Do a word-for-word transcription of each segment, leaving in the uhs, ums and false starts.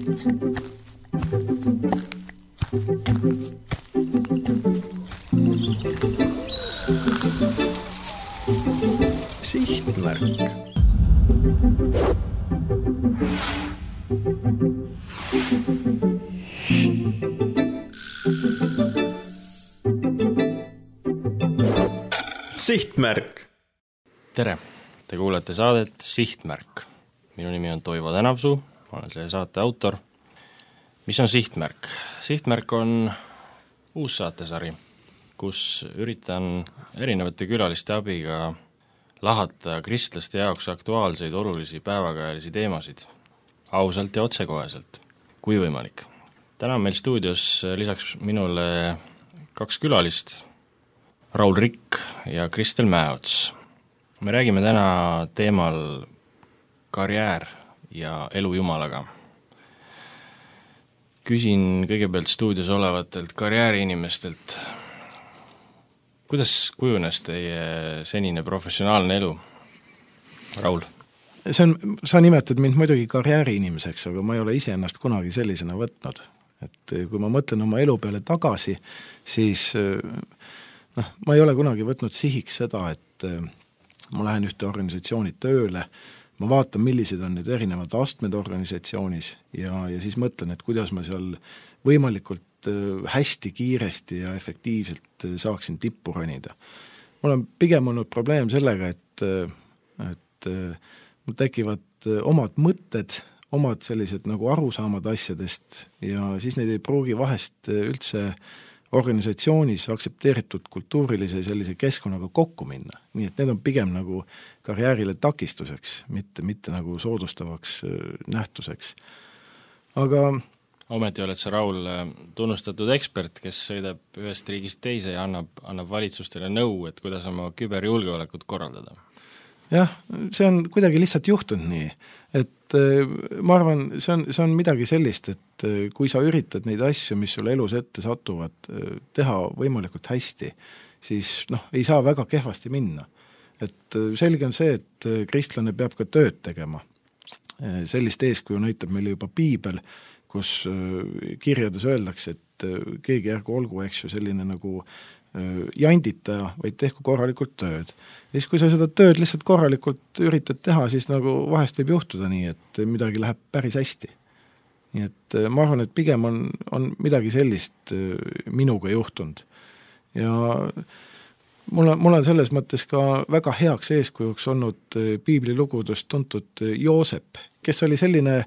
Sihtmärk. Sihtmärk. Tere! Te kuulete saadet Sihtmärk. Minu nimi on Toivo Tänavsuu, ma olen selle saate autor. Mis on Sihtmärk? Sihtmärk on uus saatesari, kus üritan erinevate külaliste abiga lahata kristlaste jaoks aktuaalseid olulisi päevakajalisi teemasid ausalt ja otsekoheselt, kui võimalik. Täna on meil stuudios lisaks minule kaks külalist, Raul Rikk ja Kristel Mäeots. Me räägime täna teemal karjäär ja elu Jumalaga. Küsin kõigepealt stuudios olevatelt karjääriinimestelt, kuidas kujunes teie senine professionaalne elu? Raul? See on, sa nimetad mind muidugi karjääriinimeseks, aga ma ei ole ise ennast kunagi sellisena võtnud. Et kui ma mõtlen oma elu peale tagasi, siis noh, ma ei ole kunagi võtnud sihiks seda, et ma lähen ühte organisatsiooni tööle, ma vaatan, millised on need erinevad astmed organisatsioonis ja, ja siis mõtlen, et kuidas ma seal võimalikult hästi, kiiresti ja efektiivselt saaksin tippu ronida. Mul on pigem olnud probleem sellega, et, et mul tekivad omad mõtted, omad sellised nagu arusaamad asjadest ja siis neid ei pruugi vahest üldse organisatsioonis aktsepteeritud kultuurilise sellise keskkonnaga kokku minna. Nii et need on pigem nagu karjäärile takistuseks, mitte, mitte nagu soodustavaks nähtuseks. Aga ometi oled sa, Raul, tunnustatud ekspert, kes sõidab ühest riigist teise ja annab, annab valitsustele nõu, et kuidas oma küberjulgeolekut korraldada. Jah, see on kuidagi lihtsalt juhtunud nii, et ma arvan, see on, see on midagi sellist, et kui sa üritad neid asju, mis sulle elus ette satuvad, teha võimalikult hästi, siis noh, ei saa väga kehvasti minna. Et selge on see, et kristlane peab ka tööd tegema. Sellist eeskuju näitab meile juba piibel, kus kirjades öeldakse, et keegi ärgu olgu, eks ju, selline nagu janditaja, vaid tehku korralikult tööd. Ja siis, kui sa seda tööd lihtsalt korralikult üritad teha, siis nagu vahest võib juhtuda nii, et midagi läheb päris hästi. Nii et ma arvan, et pigem on, on midagi sellist minuga juhtunud. Ja mul on, mul on selles mõttes ka väga heaks eeskujuks olnud piiblilugudest tuntud Joosep, kes oli selline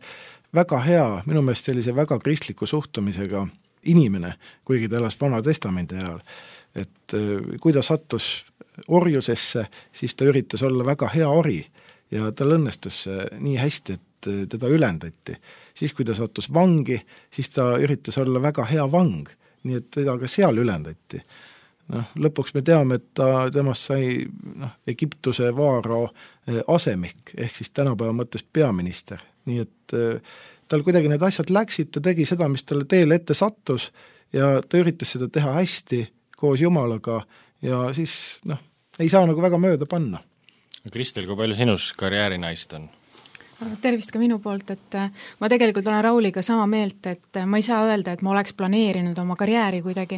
väga hea, minu meelest sellise väga kristliku suhtumisega inimene, kuigi ta elas Vana Testamendi ajal. Et kui ta sattus orjusesse, siis ta üritas olla väga hea ori ja tal õnnestus nii hästi, et teda ülendati. Siis kui ta sattus vangi, siis ta üritas olla väga hea vang, nii et teda ka seal ülendati. No, lõpuks me teame, et ta, temast sai noh, Egiptuse vaaro asemik, ehk siis tänapäeva mõttes peaminister. Nii et tal kuidagi need asjad läksid, ta tegi seda, mis talle teele ette sattus ja ta üritas seda teha hästi koos Jumalaga ja siis noh, ei saa nagu väga mööda panna. Kristel, kui palju sinus karjäärinaist on? Tervist ka minu poolt, et ma tegelikult olen Rauliga sama meelt, et ma ei saa öelda, et ma oleks planeerinud oma karjääri kuidagi,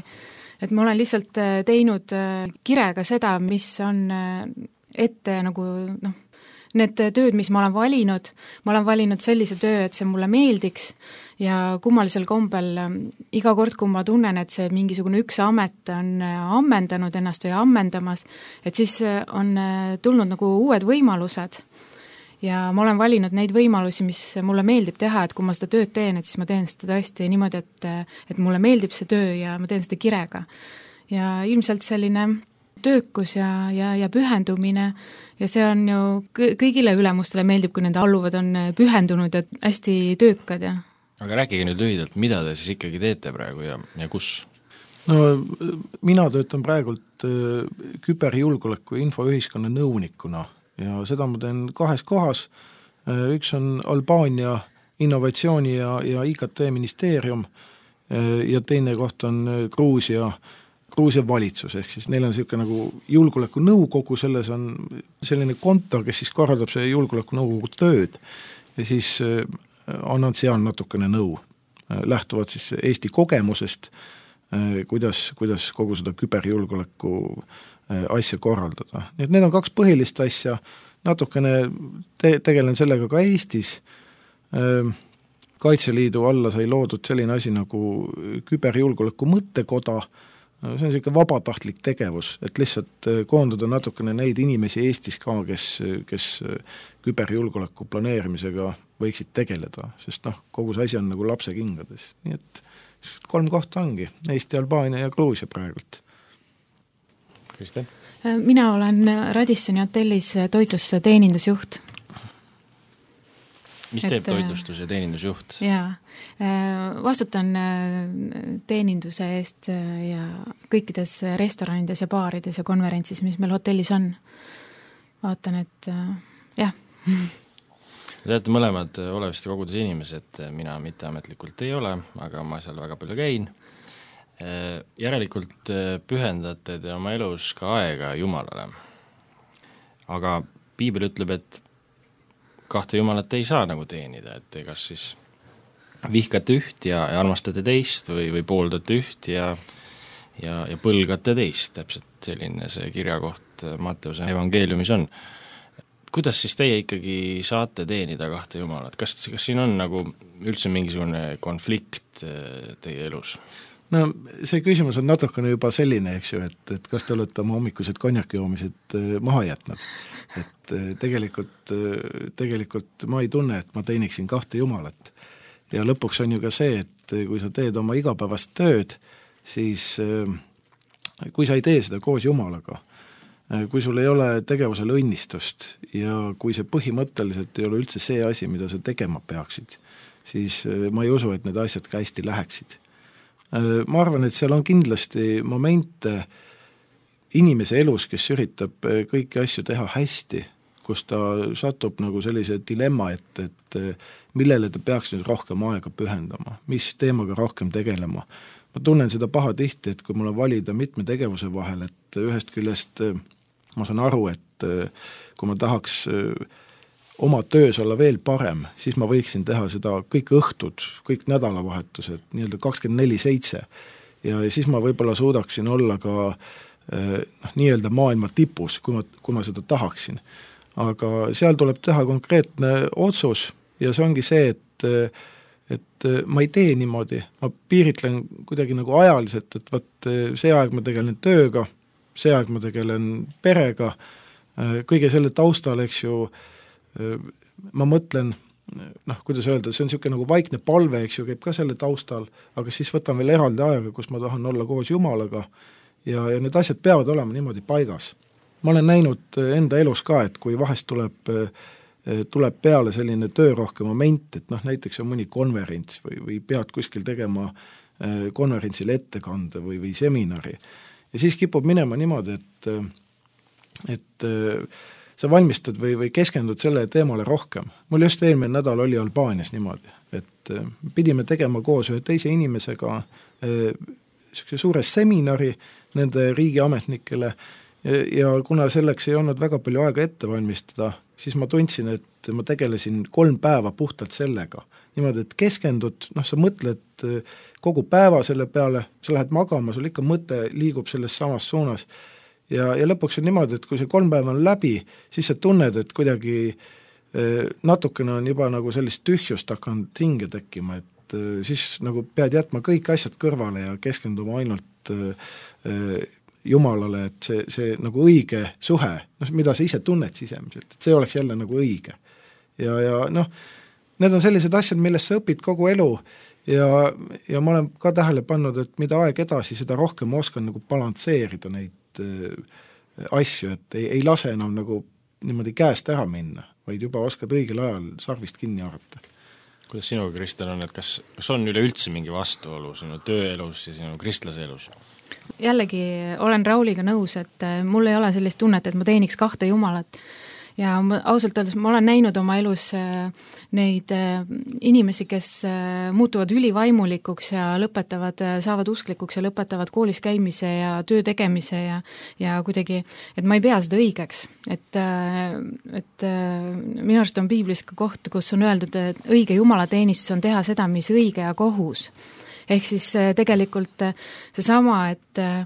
et ma olen lihtsalt teinud kirega seda, mis on ette nagu noh, need tööd, mis ma olen valinud, ma olen valinud sellise töö, et see mulle meeldiks ja kummalisel kombel iga kord, kui ma tunnen, et see mingisugune üks amet on ammendanud ennast või ammendamas, et siis on tulnud nagu uued võimalused ja ma olen valinud neid võimalusi, mis mulle meeldib teha, et kui ma seda tööd teen, et siis ma teen seda tõesti niimoodi, et, et mulle meeldib see töö ja ma teen seda kirega. Ja ilmselt selline töökus ja, ja, ja pühendumine ja see on ju kõigile ülemustele meeldib, kui nende alluvad on pühendunud ja hästi töökad. Ja. Aga rääkige nüüd lühidalt, mida te siis ikkagi teete praegu ja, ja kus? No mina töötan praegult küberjulgeoleku infoühiskonna nõunikuna ja seda ma teen kahes kohas. Üks on Albaania innovatsiooni ja, ja I K T ministeerium ja teine koht on Gruusia Gruusia valitsus, ehk siis neil on selline nagu julgeoleku nõukogu, selles on selline kontor, kes siis korraldab see julgeoleku nõukogu tööd ja siis annan seal natukene nõu. Lähtuvad siis Eesti kogemusest, kuidas, kuidas kogu seda küberjulgeoleku asja korraldada. Nii et need on kaks põhilist asja, natukene te- tegelen sellega ka Eestis. Kaitseliidu alla sai loodud selline asi nagu küberjulgeoleku mõttekoda, see on selline vabatahtlik tegevus, et lihtsalt koondada natukene neid inimesi Eestis ka, kes, kes küberjulgeoleku planeerimisega võiksid tegeleda, sest noh, kogu see asi on nagu lapse kingades. Nii et kolm kohta ongi, Eesti, Albaania ja Gruusia praegult. Kristjan? Mina olen Radissoni hotellis toitlus- teenindusjuht. Mis teeb toitlustus- ja teenindusjuht? Jaa, vastutan teeninduse eest ja kõikides restoranides ja baarides ja konverentsis, mis meil hotellis on. Vaatan, et jah. Te olete mõlemad olevasti kogudes inimesed, mina mitteametlikult ei ole, aga ma seal väga palju käin. Järelikult pühendate te oma elus ka aega Jumalale. Aga Piibel ütleb, et kahte Jumalat ei saa nagu teenida, et kas siis vihkate üht ja, ja armastate teist või, või pooldate üht ja, ja, ja põlgate teist, täpselt selline see kirjakoht Matteuse evangeeliumis on. Kuidas siis teie ikkagi saate teenida kahte Jumalat? Kas, kas siin on nagu üldse mingisugune konflikt teie elus? No see küsimus on natukene juba selline, eks ju, et, et kas te olete oma hommikused konjakijoomised maha jätnud. Et tegelikult, tegelikult ma ei tunne, et ma teeniksin kahte Jumalat. Ja lõpuks on ju ka see, et kui sa teed oma igapäevast tööd, siis kui sa ei tee seda koos Jumalaga, kui sul ei ole tegevusel õnnistust ja kui see põhimõtteliselt ei ole üldse see asi, mida sa tegema peaksid, siis ma ei usu, et need asjad ka hästi läheksid. Ma arvan, et seal on kindlasti momente inimese elus, kes üritab kõiki asju teha hästi, kus ta satub nagu sellise dilemma, et, et millele ta peaks nüüd rohkem aega pühendama, mis teemaga rohkem tegelema. Ma tunnen seda paha tihti, et kui mul on valida mitme tegevuse vahel, et ühest küljest ma saan aru, et kui ma tahaks oma töös olla veel parem, siis ma võiksin teha seda kõik õhtud, kõik nädalavahetused, nii-öelda kakskümmend neli seitse. Ja siis ma võib-olla suudaksin olla ka noh, nii-öelda maailma tipus, kui ma, kui ma seda tahaksin. Aga seal tuleb teha konkreetne otsus ja see ongi see, et, et ma ei tee niimoodi, ma piiritlen kuidagi nagu ajaliselt, et võt, see aeg ma tegelen tööga, see aeg ma tegelen perega, kõige selle taustal, eks ju, ma mõtlen, noh, kuidas öelda, see on niisugune nagu vaikne palve, eks ju, käib ka selle taustal, aga siis võtan veel eraldi ajaga, kus ma tahan olla koos Jumalaga ja, ja need asjad peavad olema niimoodi paigas. Ma olen näinud enda elus ka, et kui vahest tuleb, tuleb peale selline töörohke moment, et noh, näiteks on mõni konverents või, või pead kuskil tegema konverentsil ettekande või, või seminari ja siis kipub minema niimoodi, et et sa valmistad või, või keskendud selle teemale rohkem. Mul just eelmine nädal oli Albaanias niimoodi, et pidime tegema koos ühe teise inimesega äh, suure seminari nende riigiametnikele ja, ja kuna selleks ei olnud väga palju aega ette valmistada, siis ma tundsin, et ma tegelesin kolm päeva puhtalt sellega. Niimoodi, et keskendud, noh, sa mõtled kogu päeva selle peale, sa lähed magama, sul ikka mõte liigub selles samas suunas. Ja, ja lõpuks on niimoodi, et kui see kolm päeva on läbi, siis sa tunned, et kuidagi eh, natukene on juba nagu sellist tühjust hakanud hinge tekkima, et eh, siis nagu pead jätma kõik asjad kõrvale ja keskenduma ainult eh, Jumalale, et see, see nagu õige suhe, noh, mida sa ise tunned sisemiselt, et see oleks jälle nagu õige. Ja, ja noh, need on sellised asjad, millest sa õpid kogu elu ja, ja ma olen ka tähele pannud, et mida aeg edasi, seda rohkem ma oskan nagu balansseerida neid asju, et ei, ei lase enam nagu niimoodi käest ära minna, vaid juba oskad õigel ajal sarvist kinni arvata. Kuidas sinuga, Kristjan, on, et kas, kas on üleüldse mingi vastuolu sinu tööelus ja sinu kristlase elus? Jällegi olen Rauliga nõus, et mul ei ole sellist tunnet, et ma teeniks kahte Jumalat. ja ma, ausalt öeldes ma olen näinud oma elus neid inimesi, kes muutuvad ülivaimulikuks ja lõpetavad, saavad usklikuks ja lõpetavad koolis käimise ja töö tegemise ja ja kuidagi, et ma ei pea seda õigeks. Et, et minu arust on piiblis ka koht, kus on öeldud, et õige jumalateenistus on teha seda, mis õige ja kohus. Ehk siis tegelikult seesama, et äh,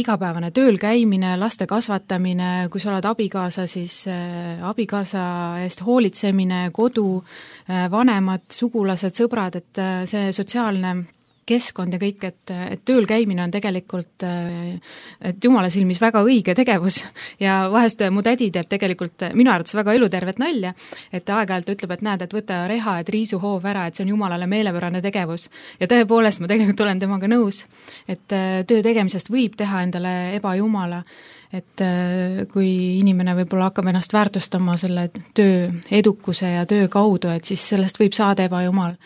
igapäevane tööl käimine, laste kasvatamine, kui sa oled abikaasa, siis äh, abikaasa eest hoolitsemine, kodu, äh, vanemad, sugulased, sõbrad, et äh, see sotsiaalne keskkond ja kõik, et, et tööl käimine on tegelikult et jumala silmis väga õige tegevus ja vahest mu tädi teeb tegelikult minu arvates väga elutervet nalja, et aeg-ajalt ütleb, et näed, et võta reha, et riisu hoov ära, et see on jumalale meelepärane tegevus. Ja tõepoolest ma tegelikult olen temaga nõus, et töö tegemisest võib teha endale ebajumala, et kui inimene võib-olla hakkab ennast väärtustama selle töö edukuse ja töö kaudu, et siis sellest võib saada ebajumal.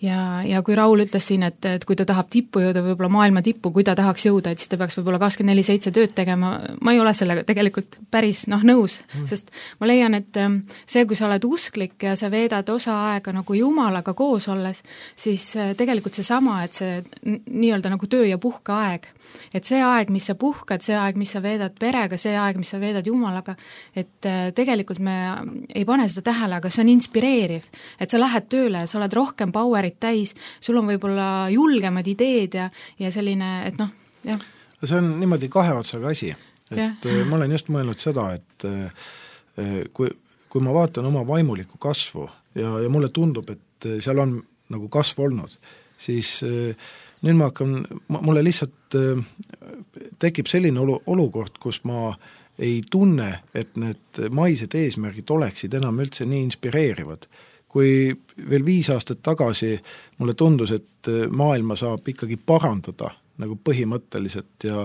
Ja, ja kui Raul ütles siin, et, et kui ta tahab tippu jõuda, võib-olla maailma tippu, kui ta tahaks jõuda, et siis ta peaks võib-olla kakskümmend neli seitse tööd tegema, ma ei ole sellega tegelikult päris noh, nõus, mm. sest ma leian, et see, kui sa oled usklik ja sa veedad osa aega nagu Jumalaga koos olles, siis tegelikult see sama, et see nii-öelda nagu töö ja puhka aeg, et see aeg, mis sa puhkad, see aeg, mis sa veedad perega, see aeg, mis sa veedad Jumalaga, et tegelikult me ei pane seda tähele, aga see on inspireeriv, et sa lähed tööle ja sa oled rohkem powerit täis, sul on võib-olla julgemad ideed ja, ja selline, et noh, jah. See on niimoodi kahe otsaga asi, et ja. Ma olen just mõelnud seda, et kui, kui ma vaatan oma vaimulikku kasvu ja, ja mulle tundub, et seal on nagu kasv olnud, siis nüüd ma hakkan, mulle lihtsalt tekib selline olu, olukord, kus ma ei tunne, et need maised eesmärgid oleksid enam üldse nii inspireerivad. Kui veel viis aastat tagasi mulle tundus, et maailma saab ikkagi parandada nagu põhimõtteliselt ja,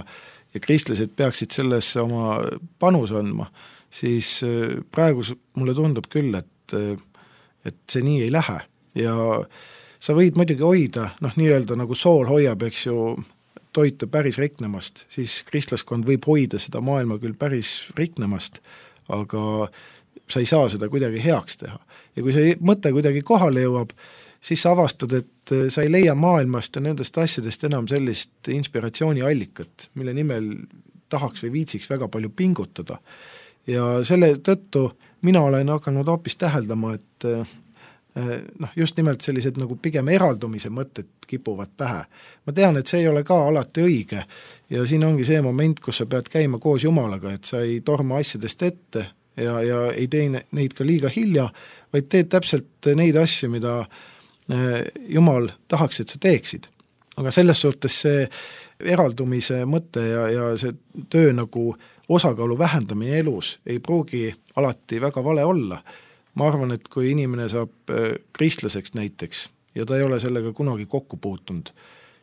ja kristlased peaksid sellesse oma panus andma, siis praegu mulle tundub küll, et, et see nii ei lähe. Ja sa võid muidugi hoida, noh nii-öelda nagu sool hoiab, eks ju, toitu päris riknemast, siis kristlaskond võib hoida seda maailma küll päris riknemast, aga sa ei saa seda kuidagi heaks teha. Ja kui see mõte kuidagi kohale jõuab, siis sa avastad, et sa ei leia maailmast ja nendest asjadest enam sellist inspiratsiooniallikat, mille nimel tahaks või viitsiks väga palju pingutada. Ja selle tõttu mina olen hakanud hoopis täheldama, et noh, just nimelt sellised nagu pigem eraldumise mõtted kipuvad pähe. Ma tean, et see ei ole ka alati õige ja siin ongi see moment, kus sa pead käima koos Jumalaga, et sa ei torma asjadest ette ja, ja ei tee neid ka liiga hilja, vaid teed täpselt neid asju, mida Jumal tahaks, et sa teeksid. Aga selles suhtes see eraldumise mõte ja, ja see töö nagu osakaalu vähendamine elus ei pruugi alati väga vale olla. Ma arvan, et kui inimene saab kristlaseks näiteks ja ta ei ole sellega kunagi kokku puutunud,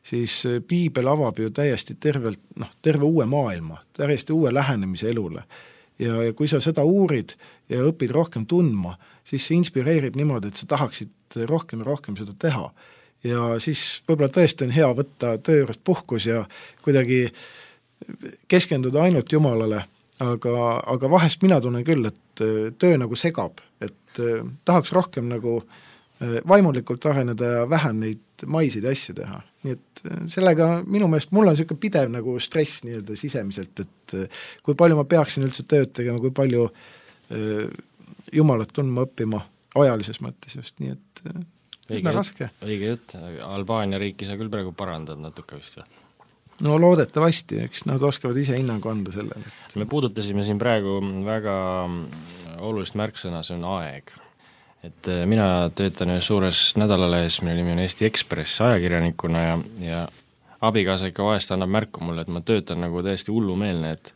siis piibel avab ju täiesti tervelt, noh, terve uue maailma, täiesti uue lähenemise elule. Ja, ja kui sa seda uurid ja õpid rohkem tundma, siis see inspireerib niimoodi, et sa tahaksid rohkem ja rohkem seda teha. Ja siis võib-olla tõesti on hea võtta töö juurest puhkus ja kuidagi keskenduda ainult Jumalale, aga, aga vahest mina tunnen küll, et töö nagu segab, et tahaks rohkem nagu vaimulikult areneda ja vähem neid maisid asju teha. Nii et sellega minu meelest mul on niisugune pidev nagu stress nii-öelda sisemiselt, et kui palju ma peaksin üldse tööd tegema, kui palju Jumalat tundma õppima ajalises mõttes just, nii et õige raske. Õige jutt, Albaania riiki sa küll praegu parandad natuke vist või? No loodetavasti, eks nad oskavad ise hinnangu anda sellele. Me puudutasime siin praegu väga olulist märksõna, see on aeg. Et mina töötan ühes suures nädalalehes, mille nimi on Eesti Ekspress ajakirjanikuna ja, ja abikaasa ikka vahest annab märku mulle, et ma töötan nagu täiesti hullumeelne, et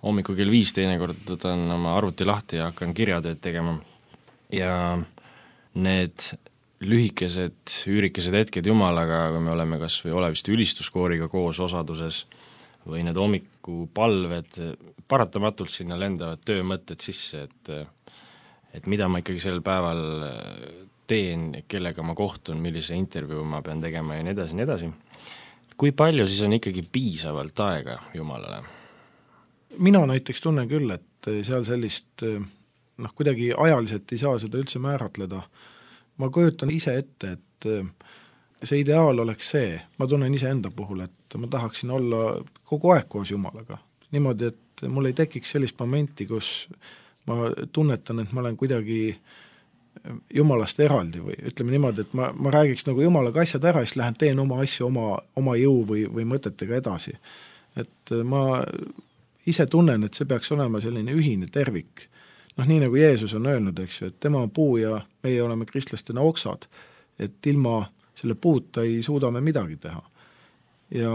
hommikul kell viis teinekord võtan oma arvuti lahti ja hakkan kirjatööd tegema. Ja need lühikesed, üürikesed hetked Jumalaga, kui me oleme kas või olevist ülistuskooriga koos osaduses või need hommikupalved, paratamatult sinna lendavad töömõtted sisse, et et mida ma ikkagi sel päeval teen, kellega ma kohtun, millise intervjuu ma pean tegema ja nii edasi, nii edasi. Kui palju siis on ikkagi piisavalt aega Jumalale? mina näiteks tunnen küll, et seal sellist noh, kuidagi ajaliselt ei saa seda üldse määratleda. Ma kujutan ise ette, et see ideaal oleks see, ma tunnen ise enda puhul, et ma tahaksin olla kogu aeg koos Jumalaga. Niimoodi, et mul ei tekiks sellist momenti, kus ma tunnetan, et ma olen kuidagi Jumalast eraldi või ütleme niimoodi, et ma, ma räägiks nagu Jumalaga asjad ära, siis lähen teen oma asju oma, oma jõu või, või mõtetega edasi. Et ma ise tunnen, et see peaks olema selline ühine tervik. Noh, nii nagu Jeesus on öelnud, eks ju, et tema on puu ja meie oleme kristlastena oksad, et ilma selle puuta ei suuda me midagi teha. Ja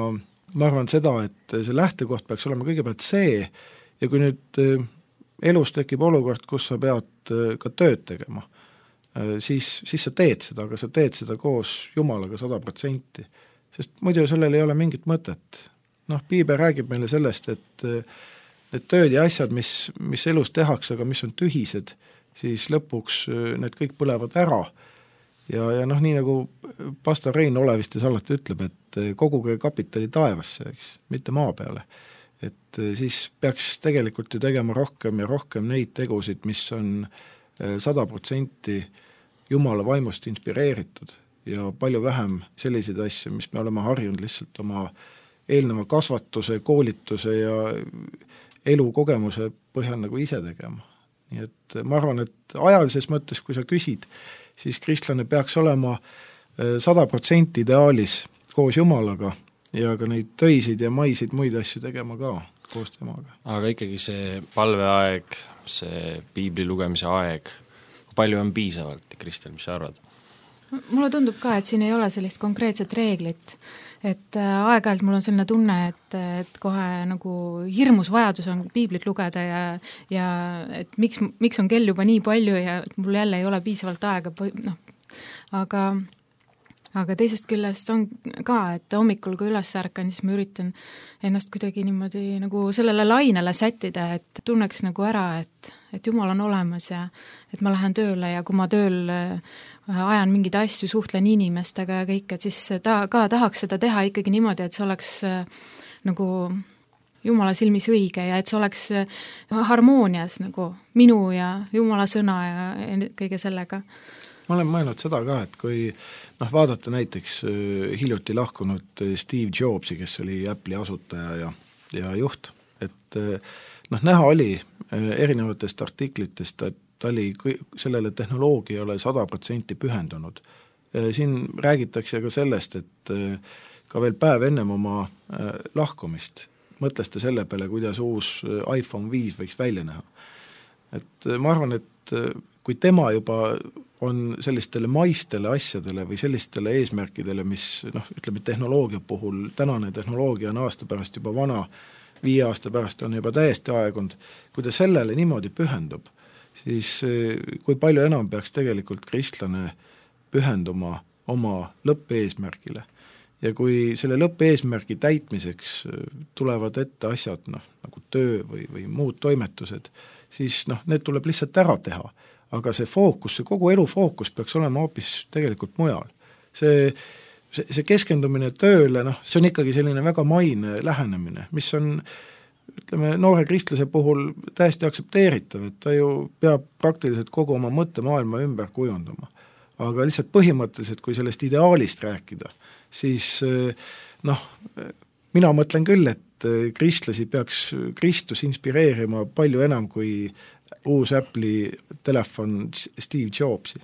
ma arvan seda, et see lähtekoht peaks olema kõigepealt see, ja kui nüüd elus tekib olukord, kus sa pead ka tööd tegema, siis, siis sa teed seda, aga sa teed seda koos Jumalaga sada protsenti, sest muidu sellel ei ole mingit mõtet. Noh, Piibel räägib meile sellest, et need tööd ja asjad, mis, mis elus tehakse, aga mis on tühised, siis lõpuks need kõik põlevad ära. Ja, ja noh, nii nagu pastor Rein Olevistes alati ütleb, et koguge kapitali taevasse, eks, mitte maa peale. Et siis peaks tegelikult ju tegema rohkem ja rohkem neid tegusid, mis on sada protsenti Jumala vaimust inspireeritud ja palju vähem selliseid asju, mis me oleme harjunud lihtsalt oma eelneva kasvatuse, koolituse ja elukogemuse põhjal nagu ise tegema. Nii et ma arvan, et ajalises mõttes, kui sa küsid, siis kristlane peaks olema sada protsenti ideaalis koos Jumalaga ja ka neid töisid ja maisid muid asju tegema ka koos temaga. Aga ikkagi see palveaeg, see piibli lugemise aeg, kui palju on piisavalt, Kristel, mis sa arvad? Mulle tundub ka, et siin ei ole sellist konkreetset reeglit, et aeg-ajalt mul on selline tunne, et, et kohe nagu hirmus vajadus on piiblit lugeda ja, ja et miks, miks on kell juba nii palju ja et mul jälle ei ole piisavalt aega, noh, aga aga teisest küljest on ka, et hommikul kui üles ärkan, siis ma üritan ennast kuidagi niimoodi nagu sellele lainele sättida, et tunneks nagu ära, et, et Jumal on olemas ja et ma lähen tööle ja kui ma tööl ajan mingeid asju, suhtlen inimestega ja kõik, et siis ta ka tahaks seda teha ikkagi niimoodi, et see oleks nagu Jumala silmis õige ja et see oleks harmoonias nagu minu ja Jumala sõna ja, ja kõige sellega. Ma olen mõelnud seda ka, et kui noh, vaadata näiteks hiljuti lahkunud Steve Jobsi, kes oli Apple'i asutaja ja, ja juht, et noh, näha oli erinevatest artiklitest, et ta oli sellele tehnoloogiale sada protsenti pühendunud. Siin räägitakse ka sellest, et ka veel päev ennem oma lahkumist mõtles ta selle peale, kuidas uus iPhone viis võiks välja näha. Et ma arvan, et kui tema juba on sellistele maistele asjadele või sellistele eesmärkidele, mis noh, ütleme tehnoloogia puhul, tänane tehnoloogia on aasta pärast juba vana, viie aasta pärast on juba täiesti aegunud, kui ta sellele niimoodi pühendub, siis kui palju enam peaks tegelikult kristlane pühenduma oma lõppeesmärgile. Ja kui selle lõppeesmärgi täitmiseks tulevad ette asjad, noh, nagu töö või, või muud toimetused, siis noh, need tuleb lihtsalt ära teha. Aga see fookus, see kogu elu fookus peaks olema hoopis tegelikult mujal. See, see, see keskendumine tööle, noh, see on ikkagi selline väga maine lähenemine, mis on, ütleme, noore kristlase puhul täiesti aksepteeritav, et ta ju peab praktiliselt kogu oma mõttemaailma ümber kujundama. Aga lihtsalt põhimõtteliselt, kui sellest ideaalist rääkida, siis noh, mina mõtlen küll, et kristlasi peaks Kristus inspireerima palju enam kui uus Apple'i telefon Steve Jobsi.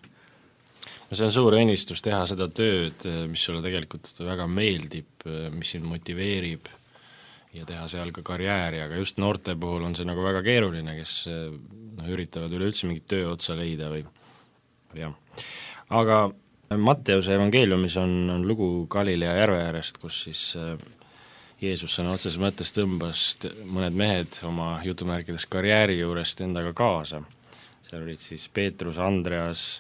No see on suur õnnistus teha seda tööd, mis sulle tegelikult väga meeldib, mis sind motiveerib ja teha seal ka karjääri, aga just noorte puhul on see nagu väga keeruline, kes no, üritavad üleüldse mingit töö otsa leida või jah. Aga Matteuse evangeeliumis on, on lugu Galilea järve äärest, kus siis Jeesus sõna otseses mõttes tõmbas mõned mehed oma jutumärkides karjääri juurest endaga kaasa. Seal olid siis Peetrus, Andreas,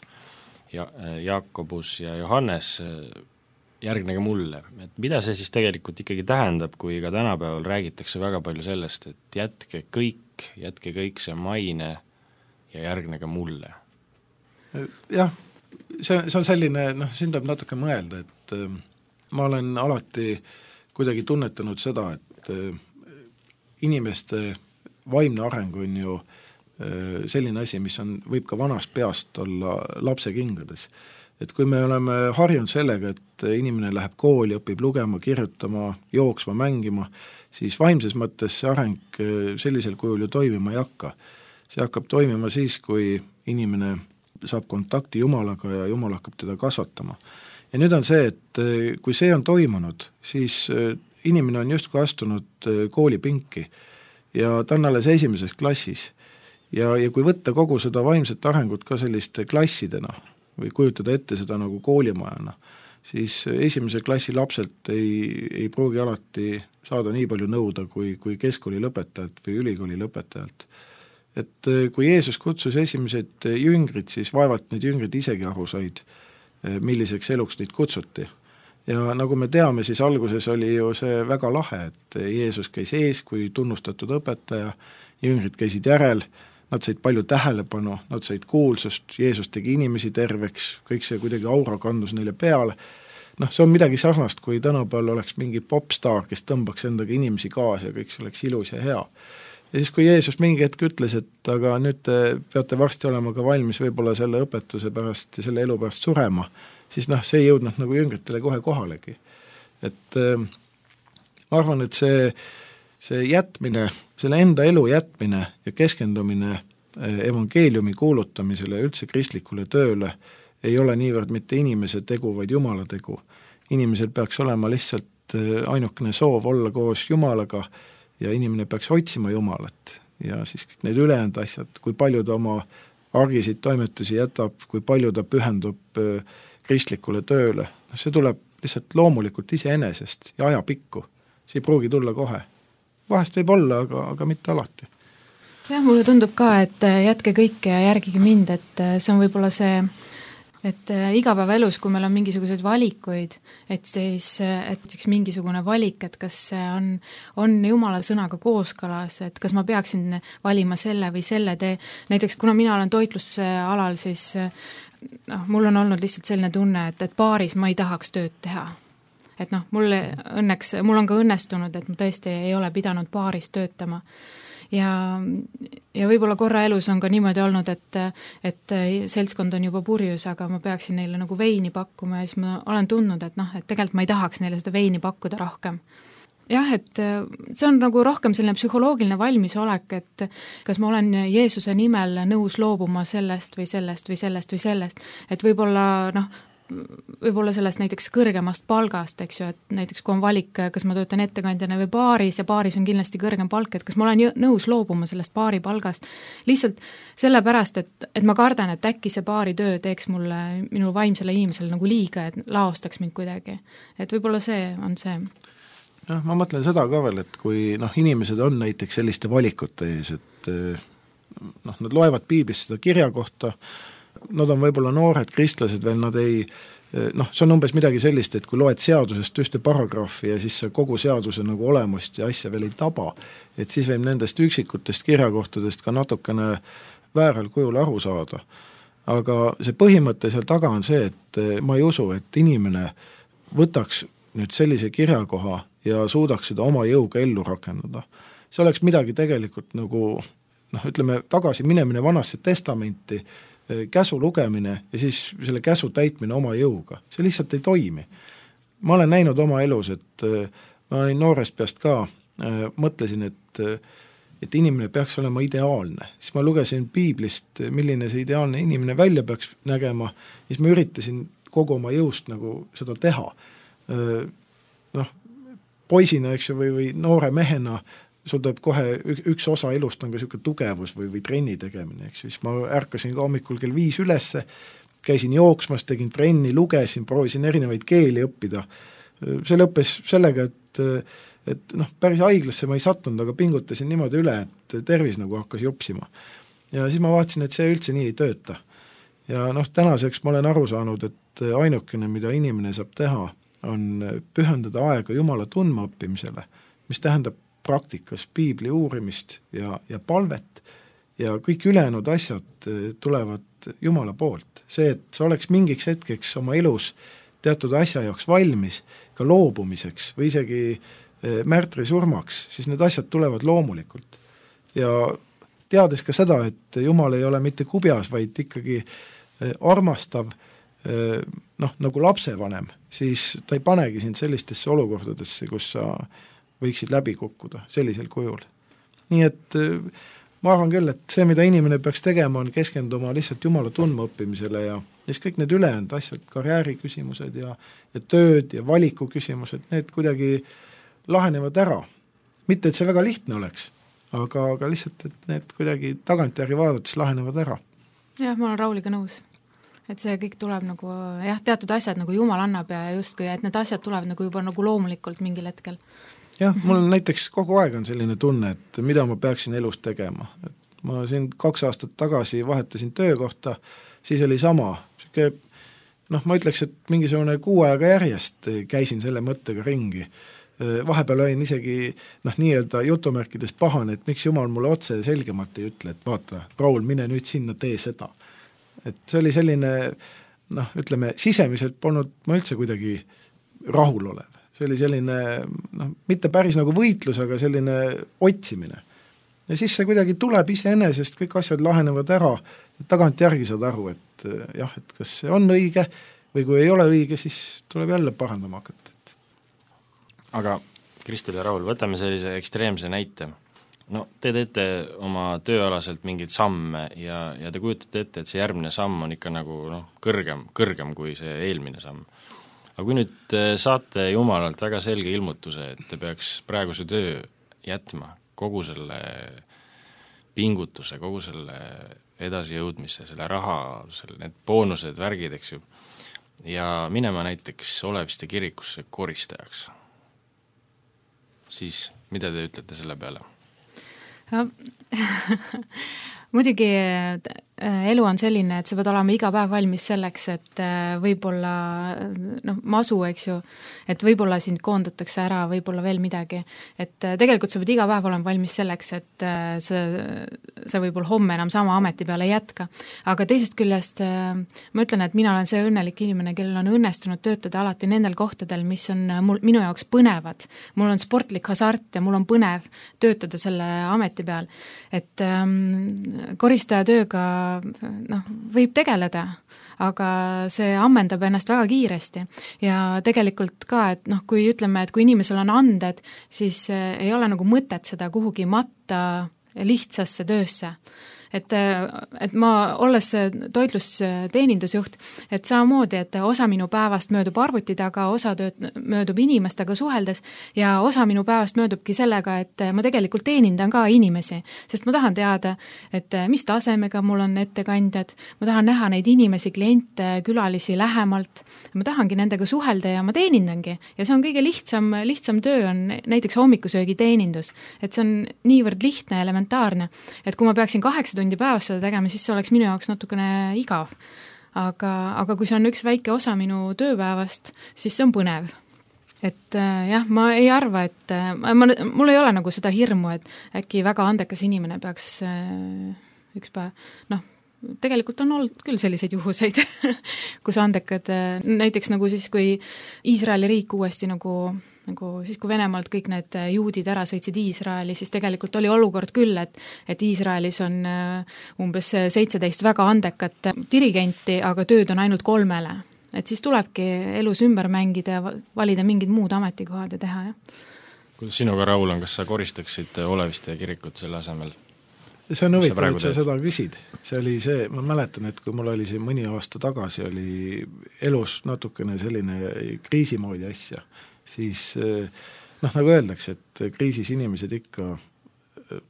ja, Jakobus ja Johannes, järgnege mulle. Et mida see siis tegelikult ikkagi tähendab, kui ka tänapäeval räägitakse väga palju sellest, et jätke kõik, jätke kõik see maine ja järgnege mulle? Jah, see, see on selline, noh, siin tuleb natuke mõelda, et äh, ma olen alati kuidagi tunnetanud seda, et inimeste vaimne areng on ju selline asi, mis on, võib ka vanast peast olla lapse kingades. Et kui me oleme harjunud sellega, et inimene läheb kooli, õpib lugema, kirjutama, jooksma, mängima, siis vaimses mõttes see areng sellisel kujul ju toimima ei hakka. See hakkab toimima siis, kui inimene saab kontakti Jumalaga ja Jumal hakkab teda kasvatama. Ja nüüd on see, et kui see on toimunud, siis inimene on justkui astunud koolipinki ja ta on alles esimeses klassis. Ja, ja kui võtta kogu seda vaimset arengut ka selliste klassidena või kujutada ette seda nagu koolimajana, siis esimese klassi lapselt ei, ei pruugi alati saada nii palju nõuda kui, kui keskkooli lõpetajalt või ülikooli lõpetajalt. Et kui Jeesus kutsus esimesed jüngrid, siis vaevalt need jüngrid isegi aru said, milliseks eluks neid kutsuti. Ja nagu me teame, siis alguses oli ju see väga lahe, et Jeesus käis ees kui tunnustatud õpetaja, jüngrid käisid järel, nad said palju tähelepanu, nad said kuulsust, Jeesus tegi inimesi terveks, kõik see kuidagi aura kandus neile peale. Noh, see on midagi sarnast, kui tänapäeval oleks mingi popstaar, kes tõmbaks endaga inimesi kaasa ja kõik see oleks ilus ja hea. Ja siis, kui Jeesus mingi hetk ütles, et aga nüüd te peate varsti olema ka valmis võib-olla selle õpetuse pärast ja selle elu pärast surema, siis noh, see ei jõudnud nagu jüngritele kohe kohalegi. Et äh, ma arvan, et see see jätmine, selle enda elu jätmine ja keskendumine evangeeliumi kuulutamisele ja üldse kristlikule tööle ei ole niivõrd mitte inimese tegu, vaid Jumala tegu. Inimesel peaks olema lihtsalt ainukene soov olla koos Jumalaga ja inimene peaks otsima Jumalat. Ja siis kõik need ülejäänud asjad, kui palju ta oma argisid toimetusi jätab, kui palju ta pühendub kristlikule tööle, see tuleb lihtsalt loomulikult iseenesest ja ajapikku. See ei pruugi tulla kohe. Vahest võib olla, aga, aga mitte alati. Jah, mulle tundub ka, et jätke kõike ja järgige mind, et see on võib-olla see, et igapäevaelus, kui meil on mingisuguseid valikuid, et siis et mingisugune valik, et kas see on, on Jumala sõnaga kooskõlas, et kas ma peaksin valima selle või selle tee. Näiteks, kuna mina olen toitlusalal, siis noh, mul on olnud lihtsalt selline tunne, et, et paaris ma ei tahaks tööd teha. Et noh, mul õnneks, mul on ka õnnestunud, et ma tõesti ei ole pidanud paaris töötama. Ja, ja võib-olla korra elus on ka niimoodi olnud, et, et seltskond on juba purjus, aga ma peaksin neile nagu veini pakkuma ja siis ma olen tundnud, et noh, et tegelikult ma ei tahaks neile seda veini pakkuda rohkem. Jah, et see on nagu rohkem selline psühholoogiline valmisolek, et kas ma olen Jeesuse nimel nõus loobuma sellest või sellest või sellest või sellest, et võib-olla noh, võib-olla sellest näiteks kõrgemast palgast, eks ju, et näiteks kui on valik, kas ma töötan ettekandjana või baaris ja baaris on kindlasti kõrgem palk, et kas ma olen nõus loobuma sellest baari palgast lihtsalt sellepärast, et, et ma kardan, et äkki see baari töö teeks mulle, minu vaimsele inimesele nagu liiga, et laostaks mind kuidagi. Et võib-olla see on see. Jah, ma mõtlen seda ka veel, et kui noh, inimesed on näiteks selliste valikute ees, et noh, nad loevad piiblist seda kirja kohta, nad on võib-olla noored kristlased veel, nad ei, noh, see on umbes midagi sellist, et kui loed seadusest ühte paragrahvi ja siis kogu seaduse nagu olemust ja asja veel ei taba, et siis võib nendest üksikutest kirjakohtadest ka natukene vääral kujul aru saada. Aga see põhimõte seal taga on see, et ma ei usu, et inimene võtaks nüüd sellise kirjakoha ja suudaks seda oma jõuga ellu rakendada. See oleks midagi tegelikult nagu, noh, ütleme, tagasi minemine vanasse testamenti, käsu lugemine ja siis selle käsu täitmine oma jõuga. See lihtsalt ei toimi. Ma olen näinud oma elus, et ma olin noorest peast ka, mõtlesin, et, et inimene peaks olema ideaalne. Siis ma lugesin piiblist, milline see ideaalne inimene välja peaks nägema, siis ma üritasin kogu oma jõust nagu seda teha. Noh, poisina, eks ju, või, või noore mehena sul tuleb kohe üks osa elust on ka niisugune tugevus või, või trenni tegemine, eks siis ma ärkasin ka hommikul kell viis ülesse, käisin jooksmas, tegin trenni, lugesin, proovisin erinevaid keeli õppida. See lõppes sellega, et, et noh, päris haiglasse ma ei sattunud, aga pingutasin niimoodi üle, et tervis nagu hakkas jopsima. Ja siis ma vaatasin, et see üldse nii ei tööta. Ja noh, tänaseks ma olen aru saanud, et ainukene, mida inimene saab teha, on pühendada aega Jumala tundma õppimisele, mis tähendab praktikas piibli uurimist ja, ja palvet ja kõik ülejäänud asjad tulevad Jumala poolt. See, et sa oleks mingiks hetkeks oma elus teatud asja jaoks valmis, ka loobumiseks või isegi märtri surmaks, siis need asjad tulevad loomulikult. ja teades ka seda, et Jumal ei ole mitte kubjas, vaid ikkagi armastav, noh, nagu lapsevanem, siis ta ei panegi sind sellistesse olukordadesse, kus sa võiksid läbi kukkuda sellisel kujul. Nii et ma arvan küll, et see, mida inimene peaks tegema, on keskenduma lihtsalt Jumala tundma õppimisele ja siis kõik need ülejäänud asjad, karjääri küsimused ja, ja tööd ja valiku küsimused, need kuidagi lahenevad ära. Mitte, et see väga lihtne oleks, aga, aga lihtsalt, et need kuidagi tagantjärgi vaadates lahenevad ära. Jah, ma olen Rauliga nõus. Et see kõik tuleb nagu, jah, teatud asjad nagu Jumal annab ja justkui, et need asjad tulevad nagu juba nagu loomulikult mingil hetkel. Jah, mul on näiteks kogu aeg on selline tunne, et mida ma peaksin elus tegema. Et ma siin kaks aastat tagasi vahetasin töökohta, siis oli sama, noh, ma ütleks, et mingisugune kuu aega järjest käisin selle mõttega ringi. Vahepeal olin isegi, noh, nii-öelda jutumärkides pahane, et miks Jumal mulle otse selgemalt ei ütle, et vaata, Raul, mine nüüd sinna, tee seda. Et see oli selline, noh, ütleme, sisemiselt polnud ma üldse kuidagi rahul olev. See oli selline, noh, mitte päris nagu võitlus, aga selline otsimine. Ja siis see kuidagi tuleb iseenesest, kõik asjad lahenevad ära, et tagant järgi saad aru, et jah, et kas see on õige või kui ei ole õige, siis tuleb jälle parandama hakata. Et... Aga Kristel ja Raul, võtame sellise ekstreemse näite. No te teete oma tööalaselt mingeid samme ja, ja te kujutate ette, et see järgmine samm on ikka nagu noh, kõrgem, kõrgem kui see eelmine samm. Aga kui nüüd saate Jumalalt väga selge ilmutuse, et te peaks praeguse töö jätma, kogu selle pingutuse, kogu selle edasijõudmise, selle raha, selle, need boonused, värgid, eks ju, ja minema näiteks Oleviste kirikusse koristajaks, siis mida te ütlete selle peale? Muidugi elu on selline, et sa pead olema iga päev valmis selleks, et võib-olla noh, masu, eks ju, et võib-olla sind koondatakse ära, võib-olla veel midagi, et tegelikult sa pead iga päev olema valmis selleks, et sa, sa võib-olla homme enam sama ameti peale ei jätka. Aga teisest küljest ma ütlen, et mina olen see õnnelik inimene, kellel on õnnestunud töötada alati nendel kohtadel, mis on mul, minu jaoks põnevad. Mul on sportlik hasart ja mul on põnev töötada selle ameti peal, et ähm, koristaja tööga noh, võib tegeleda, aga see ammendab ennast väga kiiresti ja tegelikult ka, et noh, kui ütleme, et kui inimesel on anded, siis ei ole nagu mõtet seda kuhugi matta lihtsasse töösse. Et, et ma, olles toitlusteenindusjuht, et samamoodi, et osa minu päevast möödub arvuti taga, osa tööd möödub inimestega suheldes ja osa minu päevast möödubki sellega, et ma tegelikult teenindan ka inimesi, sest ma tahan teada, et mis tasemega mul on ettekandjad, ma tahan näha neid inimesi, kliente, külalisi lähemalt, ma tahangi nendega suhelda ja ma teenindangi ja see on kõige lihtsam, lihtsam töö on näiteks hommikusöögi teenindus, et see on niivõrd lihtne, elementaarne, et kui ma peaksin kaheksa tundi päevas seda tegema, siis see oleks minu jaoks natukene igav. Aga, aga kui see on üks väike osa minu tööpäevast, siis see on põnev. Et äh, jah, ma ei arva, et äh, ma, mul ei ole nagu seda hirmu, et äkki väga andekas inimene peaks äh, üks päev, noh, tegelikult on olnud küll selliseid juhuseid, kus andekad, näiteks nagu siis, kui Iisraeli riik uuesti nagu, nagu siis, kui Venemaalt kõik need juudid ära sõitsid Iisraeli, siis tegelikult oli olukord küll, et, et Iisraelis on umbes seitseteist väga andekat dirigenti, aga tööd on ainult kolmele. Et siis tulebki elus ümber mängida ja valida mingid muud ametikohad ja teha, jah. Kuidas sinuga, Raul, on, kas sa koristaksid Oleviste kirikut selle asemel? See on huvitav, et sa seda küsid. See oli see, ma mäletan, et kui mul oli siin mõni aasta tagasi, oli elus natukene selline kriisimoodi asja, siis noh, nagu öeldakse, et kriisis inimesed ikka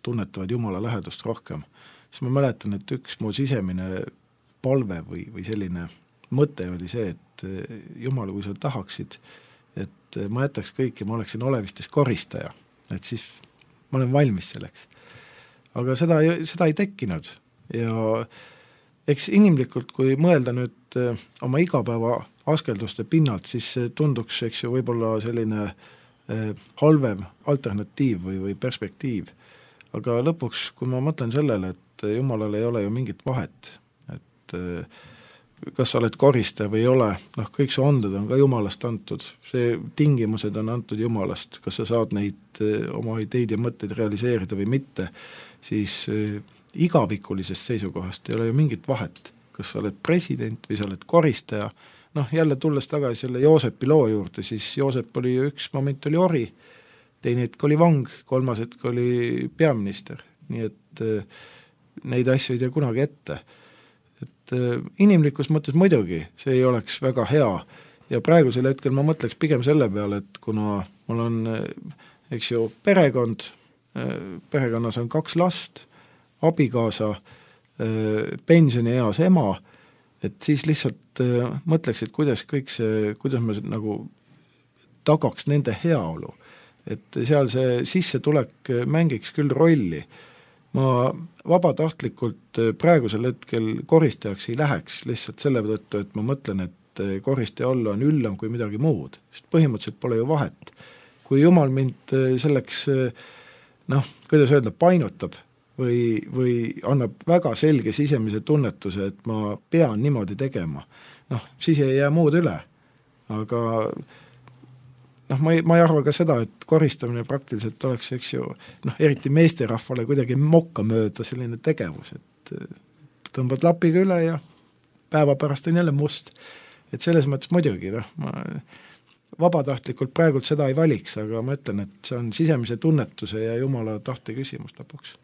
tunnetavad Jumala lähedust rohkem. Siis ma mäletan, et üks mu sisemine palve või, või selline mõte oli see, et Jumal, kui sa tahaksid, et ma jätaks kõik ja ma oleksin Olevistes koristaja, et siis ma olen valmis selleks. Aga seda, seda ei tekkinud ja eks inimlikult, kui mõelda nüüd oma igapäeva askelduste pinnalt, siis tunduks, eks ju, võib-olla selline halvem alternatiiv või, või perspektiiv. Aga lõpuks, kui ma mõtlen sellele, et Jumalal ei ole ju mingit vahet, et kas sa oled koristaja või ei ole, noh, kõik su anded on ka Jumalast antud, see tingimused on antud Jumalast, kas sa saad neid oma ideid ja mõtteid realiseerida või mitte, siis igavikulisest seisukohast ei ole ju mingit vahet, kas sa oled president või sa oled koristaja, noh, jälle tulles tagasi selle Joosepi loo juurde, siis Joosep oli ju üks moment oli ori, teine hetk oli vang, kolmas hetk oli peaminister, nii et neid asju ei tea kunagi ette. Et inimlikus mõttes muidugi see ei oleks väga hea ja praegusel hetkel ma mõtleks pigem selle peale, et kuna mul on, eks ju, perekond, perekonnas on kaks last, abikaasa, pensionieas ema, et siis lihtsalt mõtleks, et kuidas kõik see, kuidas me nagu tagaks nende heaolu, et seal see sissetulek mängiks küll rolli. Ma vabatahtlikult praegusel hetkel koristajaks ei läheks lihtsalt selle tõttu, et ma mõtlen, et koristaja olla on üllam kui midagi muud, sest põhimõtteliselt pole ju vahet. Kui Jumal mind selleks, noh, kuidas öelda, painutab või, või annab väga selge sisemise tunnetuse, et ma pean niimoodi tegema, noh, siis ei jää muud üle. Aga noh, ma ei, ma ei arva ka seda, et koristamine praktiliselt oleks, eks ju, noh, eriti meesterahvale kuidagi mokka mööda selline tegevus, et tõmbad lapiga üle ja päeva pärast on jälle must. Et selles mõttes muidugi, noh, ma vabatahtlikult praegult seda ei valiks, aga ma ütlen, et see on sisemise tunnetuse ja Jumala tahte küsimus lõpuks.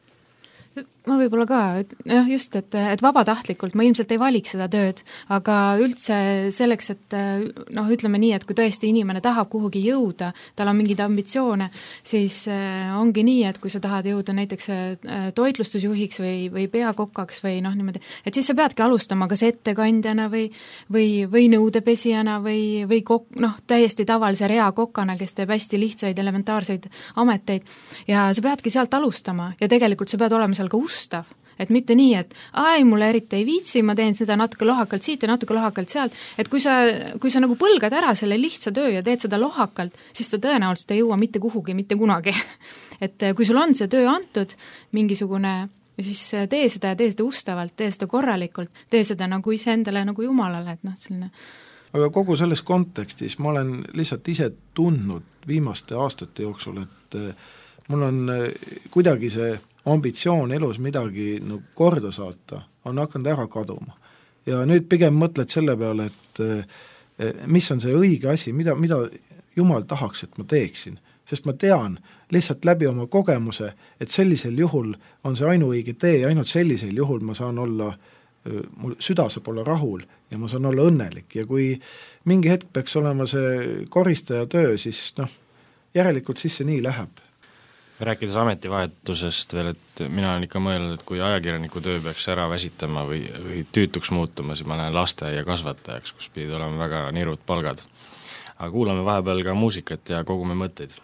Ma võib-olla ka, et jah, just, et, et vabatahtlikult ma ilmselt ei valiks seda tööd, aga üldse selleks, et noh, ütleme nii, et kui tõesti inimene tahab kuhugi jõuda, tal on mingeid ambitsioone, siis ongi nii, et kui sa tahad jõuda näiteks toitlustusjuhiks või, või peakokaks või noh, niimoodi, et siis sa peadki alustama kas ettekandjana või, või, või nõudepesijana või, või kok, noh, täiesti tavalise reakokana, kes teeb hästi lihtsaid elementaarseid ameteid ja sa peadki sealt alustama ja tegelikult sa pead olema seal ka ustav, et mitte nii, et ai, mulle eriti ei viitsi, ma teen seda natuke lohakalt siit ja natuke lohakalt sealt, et kui sa, kui sa nagu põlgad ära selle lihtsa töö ja teed seda lohakalt, siis sa tõenäoliselt ei jõua mitte kuhugi, mitte kunagi. Et kui sul on see töö antud, mingisugune, siis tee seda ja tee seda ustavalt, tee seda korralikult, tee seda nagu iseendale nagu Jumalale, et noh, selline. Aga kogu selles kontekstis ma olen lihtsalt ise tundnud viimaste aastate jooksul, et mul on kuidagi see ambitsioon elus midagi no, korda saata, on hakanud ära kaduma. Ja nüüd pigem mõtled selle peale, et mis on see õige asi, mida, mida Jumal tahaks, et ma teeksin. Sest ma tean lihtsalt läbi oma kogemuse, et sellisel juhul on see ainuõige tee ja ainult sellisel juhul ma saan olla, mul süda saab olla rahul ja ma saan olla õnnelik. Ja kui mingi hetk peaks olema see koristaja töö, siis noh, järelikult siis see nii läheb. Rääkides ametivahetusest veel, et mina olen ikka mõelnud, et kui ajakirjaniku töö peaks ära väsitama või, või tüütuks muutuma, siis ma näen lasteaia kasvatajaks, kus pidid olema väga nirud palgad. Aga kuulame vahepeal ka muusikat ja kogume mõtteid.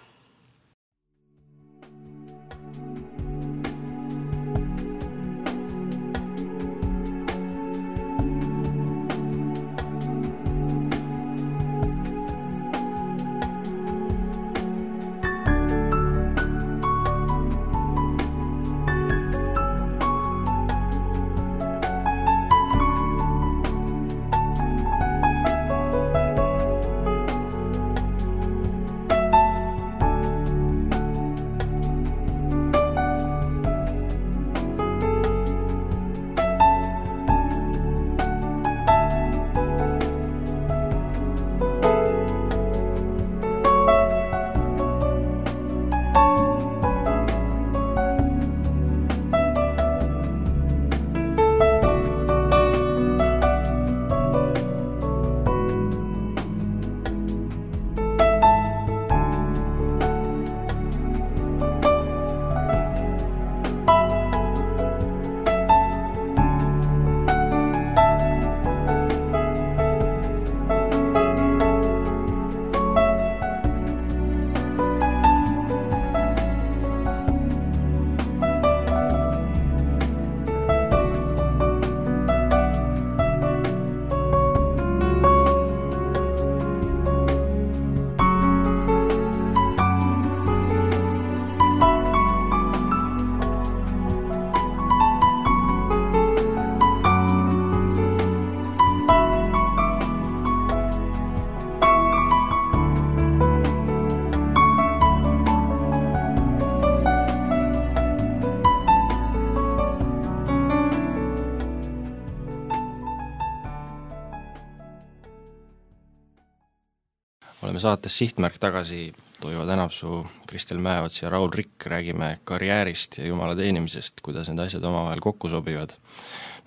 oleme saates Sihtmärk tagasi, Toivo Tänapsuu, Kristel Mäeots ja Raul Rikk, räägime karjäärist ja jumala teenimisest, kuidas need asjad omavahel kokku sobivad.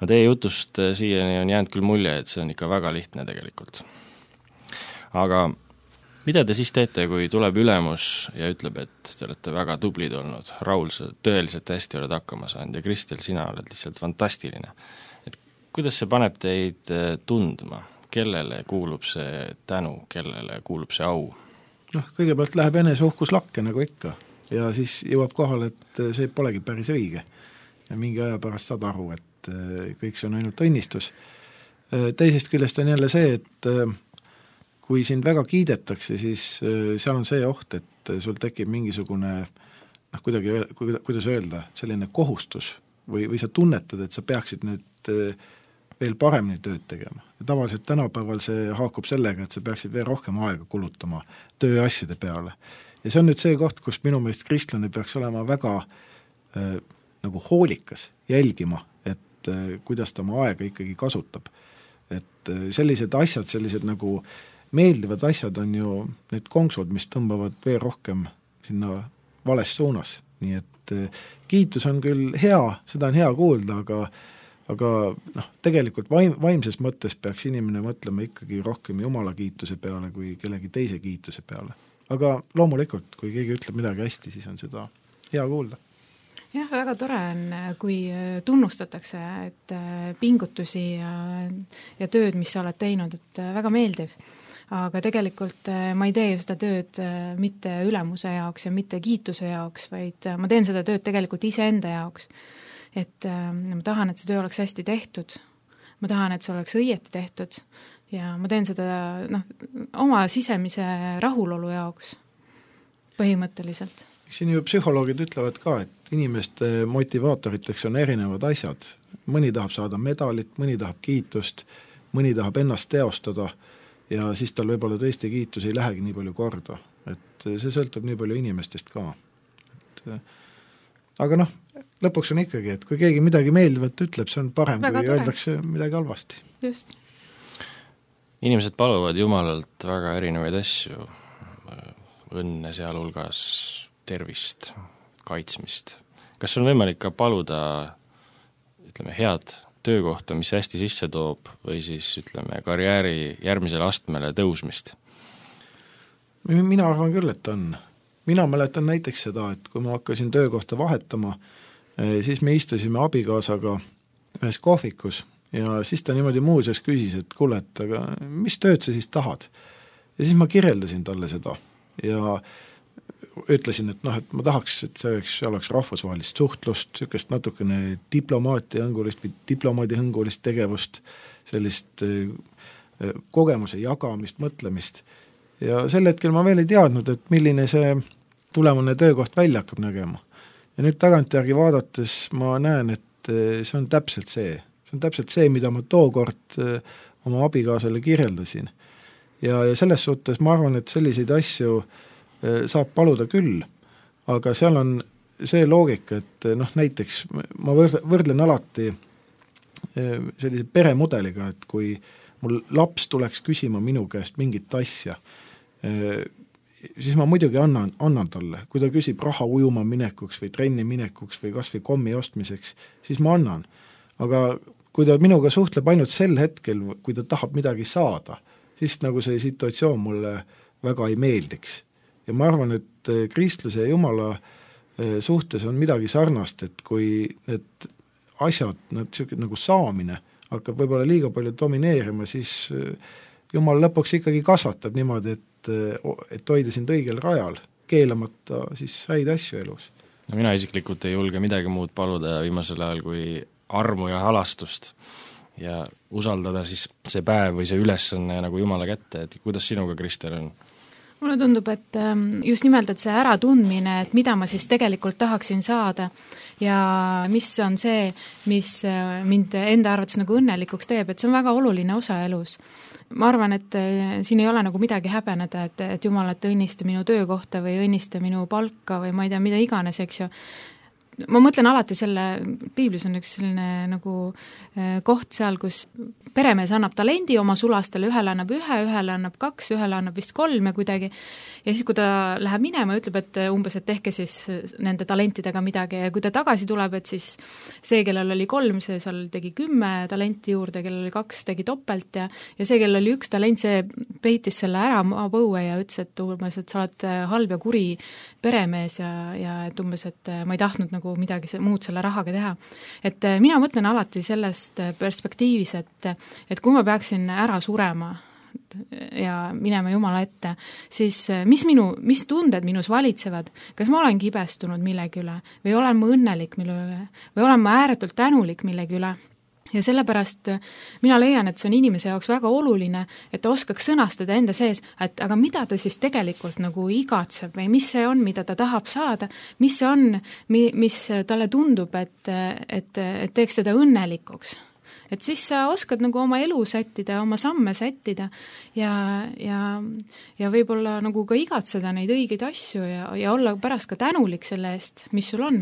No teie jutust siiani on jäänud küll mulje, et see on ikka väga lihtne tegelikult. Aga mida te siis teete, kui tuleb ülemus ja ütleb, et te olete väga tublid olnud, Raul, sa tõeliselt hästi oled hakkama saanud ja Kristel, sina oled lihtsalt fantastiline. Et kuidas see paneb teid tundma? Kellele kuulub see tänu, kellele kuulub see au? Noh, kõigepealt läheb eneseuhkus lakke, nagu ikka, ja siis jõuab kohale, et see polegi päris õige. Ja mingi aja pärast saad aru, et kõik see on ainult õnnistus. Teisest küljest on jälle see, et kui sind väga kiidetakse, siis seal on see oht, et sul tekib mingisugune, noh, kuidagi, kuidas öelda, selline kohustus või, või sa tunnetad, et sa peaksid nüüd veel paremini tööd tegema. Ja tavaliselt tänapäeval see haakub sellega, et sa peaksid veel rohkem aega kulutama tööasjade peale. Ja see on nüüd see koht, kus minu meelest kristlane peaks olema väga äh, nagu hoolikas, jälgima, et äh, kuidas ta oma aega ikkagi kasutab. Et äh, sellised asjad, sellised nagu meeldivad asjad on ju need konksud, mis tõmbavad veel rohkem sinna vales suunas. Nii et äh, kiitus on küll hea, seda on hea kuulda, aga aga noh, tegelikult vaim, vaimses mõttes peaks inimene mõtlema ikkagi rohkem Jumala kiituse peale kui kellegi teise kiituse peale. Aga loomulikult, kui keegi ütleb midagi hästi, siis on seda hea kuulda. Jah, väga tore on, kui tunnustatakse, et pingutusi ja, ja tööd, mis sa oled teinud, et väga meeldiv. Aga tegelikult ma ei tee ju seda tööd mitte ülemuse jaoks ja mitte kiituse jaoks, vaid ma teen seda tööd tegelikult iseenda jaoks. Et äh, ma tahan, et see töö oleks hästi tehtud, ma tahan, et see oleks õieti tehtud ja ma teen seda noh, oma sisemise rahulolu jaoks põhimõtteliselt. Siin ju psühholoogid ütlevad ka, et inimeste motivaatoriteks on erinevad asjad. Mõni tahab saada medalit, mõni tahab kiitust, mõni tahab ennast teostada ja siis tal võib-olla tõesti kiitus ei lähegi nii palju korda. Et see sõltub nii palju inimestest ka. Et aga noh, lõpuks on ikkagi, et kui keegi midagi meeldivat ütleb, see on parem, väga kui tore. Öeldakse midagi halvasti. Just. Inimesed paluvad Jumalalt väga erinevaid asju, õnne sealhulgas, tervist, kaitsmist. Kas on võimalik ka paluda, ütleme, head töökohta, mis hästi sisse toob, või siis, ütleme, karjääri järgmisele astmele tõusmist? Mina arvan küll, et on. Mina mäletan näiteks seda, et kui ma hakkasin töökohta vahetama, siis me istusime abikaasaga ühes kohvikus ja siis ta niimoodi muuseas küsis, et kuule, et aga mis tööd sa siis tahad? Ja siis ma kirjeldasin talle seda ja ütlesin, et noh, et ma tahaks, et see oleks, see oleks rahvusvahelist suhtlust, sükest natukene diplomaati hõngulist või diplomaadi hõngulist tegevust, sellist kogemuse jagamist, mõtlemist. Ja sel hetkel ma veel ei teadnud, et milline see tulemune töökoht välja hakkab nägema. Ja nüüd tagantjärgi vaadates ma näen, et see on täpselt see. See on täpselt see, mida ma tookord oma abikaasale kirjeldasin. Ja, ja selles suhtes ma arvan, et selliseid asju saab paluda küll, aga seal on see loogika, et noh, näiteks ma võrdlen alati sellise peremudeliga, et kui mul laps tuleks küsima minu käest mingit asja, siis ma muidugi annan, annan talle. Kui ta küsib raha ujuma minekuks või trenni minekuks või kas või kommi ostmiseks, siis ma annan. Aga kui ta minuga suhtleb ainult sel hetkel, kui ta tahab midagi saada, siis nagu see situatsioon mulle väga ei meeldiks. Ja ma arvan, et kristlase ja Jumala suhtes on midagi sarnast, et kui need asjad, nad nagu saamine hakkab võib-olla liiga palju domineerima, siis Jumal lõpuks ikkagi kasvatab niimoodi, et, et hoida sind õigel rajal, keelamata siis häid asju elus. No mina isiklikult ei julge midagi muud paluda viimasel ajal kui armu ja halastust ja usaldada siis see päev või see ülesanne nagu Jumala kätte, et kuidas sinuga, Kristel, on? Mulle tundub, et just nimelt, et see äratundmine, et mida ma siis tegelikult tahaksin saada ja mis on see, mis mind enda arvates nagu õnnelikuks teeb, et see on väga oluline osa elus. Ma arvan, et siin ei ole nagu midagi häbeneda, et, et Jumal, et õnnista minu töökohta või õnnista minu palka või ma ei tea, mida iganes, eks ju. ma mõtlen alati selle, piiblis on üks selline nagu koht seal, kus peremees annab talendi oma sulastele, ühele annab ühe, ühele annab kaks, ühele annab vist kolm ja kuidagi, ja siis, kui ta läheb minema, ütleb, et umbes, et tehke siis nende talentidega midagi ja kui ta tagasi tuleb, et siis see, kellel oli kolm, see seal tegi kümme talenti juurde, kellel oli kaks, tegi topelt ja, ja see, kellel oli üks talent, see peitis selle ära maapõue ja ütles, et umbes, et sa oled halb ja kuri peremees ja, ja et umbes, et ma ei tahtnud nagu midagi muud selle rahaga teha. Et mina mõtlen alati sellest perspektiivis, et, et kui ma peaksin ära surema ja minema Jumala ette, siis mis, minu, mis tunded minus valitsevad, kas ma olen kibestunud millegi üle või olen ma õnnelik mille üle või olen ma ääretult tänulik millegi üle. Ja sellepärast mina leian, et see on inimese jaoks väga oluline, et ta oskaks sõnastada enda sees, et aga mida ta siis tegelikult nagu igatseb või mis see on, mida ta tahab saada, mis see on, mis talle tundub, et, et, et teeks teda õnnelikuks. Et siis sa oskad nagu oma elu sättida, oma samme sättida ja, ja, ja võib-olla nagu ka igatseda neid õigeid asju ja, ja olla pärast ka tänulik selle eest, mis sul on.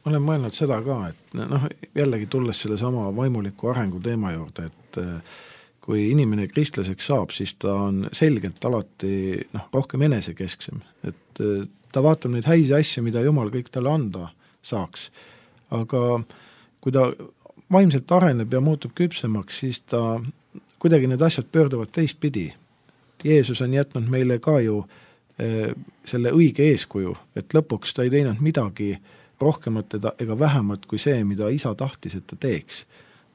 Ma olen mõelnud seda ka, et noh, jällegi tulles selle sama vaimuliku arengu teema juurde, et kui inimene kristlaseks saab, siis ta on selgelt alati noh, rohkem enesekesksem, et ta vaatab neid häisi asju, mida Jumal kõik talle anda saaks, aga kui ta vaimselt areneb ja muutub küpsemaks, siis ta kuidagi need asjad pöörduvad teistpidi. Jeesus on jätnud meile ka ju e, selle õige eeskuju, et lõpuks ta ei teinud midagi rohkemat ega vähemat kui see, mida isa tahtis, et ta teeks.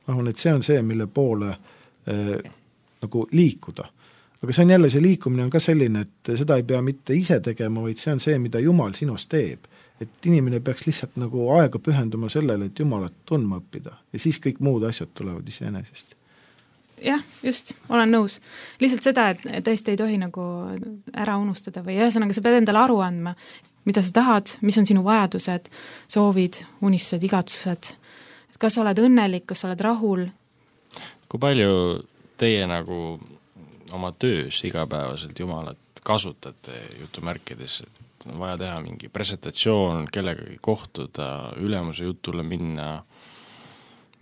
Ma arvan, et see on see, mille poole e, nagu liikuda. Aga see on jälle, see liikumine on ka selline, et seda ei pea mitte ise tegema, vaid see on see, mida Jumal sinust teeb. Et inimene peaks lihtsalt nagu aega pühenduma sellele, et Jumalat tundma õppida. Ja siis kõik muud asjad tulevad iseenesest. Jah, just, olen nõus. Lihtsalt seda, et tõesti ei tohi nagu ära unustada või ühesõnaga sa pead endale aru andma, mida sa tahad, mis on sinu vajadused, soovid, unistused, igatsused. Kas sa oled õnnelik, kas sa oled rahul? Kui palju teie nagu oma töös igapäevaselt Jumalat kasutate jutumärkides, et on vaja teha mingi presentatsioon, kellegagi kohtuda, ülemuse jutule minna,